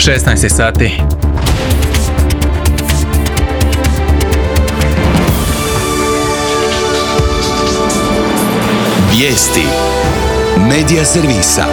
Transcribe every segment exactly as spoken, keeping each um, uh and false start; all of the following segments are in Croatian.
šesnaest sati. Vijesti Medija servisa.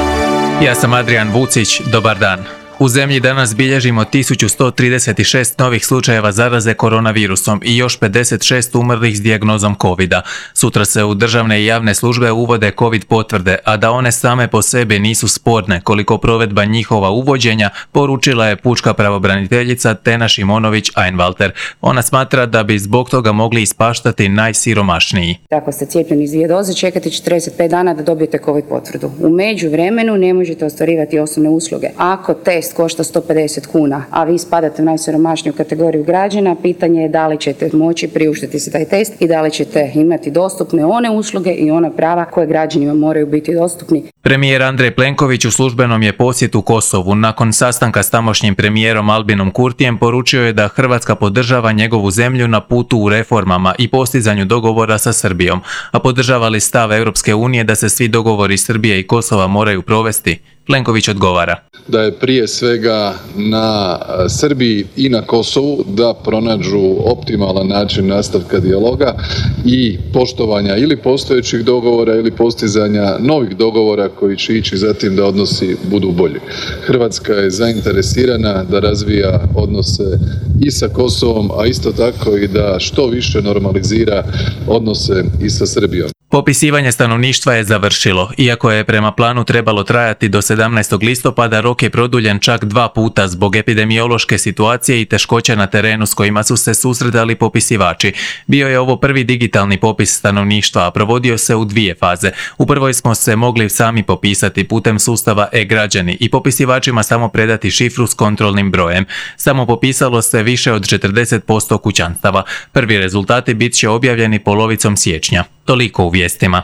Ja sam Adrian Vucić, dobar dan. U zemlji danas bilježimo tisuću sto trideset šest novih slučajeva zaraze koronavirusom i još pedeset šest umrlih s dijagnozom covida. Sutra se u državne i javne službe uvode covid potvrde, a da one same po sebi nisu sporne koliko provedba njihova uvođenja, poručila je pučka pravobraniteljica Tena Šimonović-Einwalter. Ona smatra da bi zbog toga mogli ispaštati najsiromašniji. Ako ste cijepljeni iz dvije doze, čekate četrdeset pet dana da dobijete covid potvrdu. U međuvremenu ne možete ostvarivati osnovne usluge. Ako test košta sto pedeset kuna, a vi spadate u najsiromašniju kategoriju građana, pitanje je da li ćete moći priuštiti se taj test i da li ćete imati dostupne one usluge i ona prava koje građanima moraju biti dostupni. Premijer Andrej Plenković u službenom je posjetu Kosovu. Nakon sastanka s tamošnjim premijerom Albinom Kurtijem poručio je da Hrvatska podržava njegovu zemlju na putu u reformama i postizanju dogovora sa Srbijom, a podržava li stav Europske unije da se svi dogovori Srbije i Kosova moraju provesti? Plenković odgovara. Da je prije svega na Srbiji i na Kosovu da pronađu optimalan način nastavka dijaloga i poštovanja ili postojećih dogovora ili postizanja novih dogovora koji će ići za tim da odnosi budu bolji. Hrvatska je zainteresirana da razvija odnose i sa Kosovom, a isto tako i da što više normalizira odnose i sa Srbijom. Popisivanje stanovništva je završilo. Iako je prema planu trebalo trajati do sedamnaestog listopada, rok je produljen čak dva puta zbog epidemiološke situacije i teškoća na terenu s kojima su se susretali popisivači. Bio je ovo prvi digitalni popis stanovništva, a provodio se u dvije faze. U prvoj smo se mogli sami popisati putem sustava e-građani i popisivačima samo predati šifru s kontrolnim brojem. Samo popisalo se više od četrdeset posto kućanstava. Prvi rezultati bit će objavljeni polovicom siječnja. Toliko u vijestima.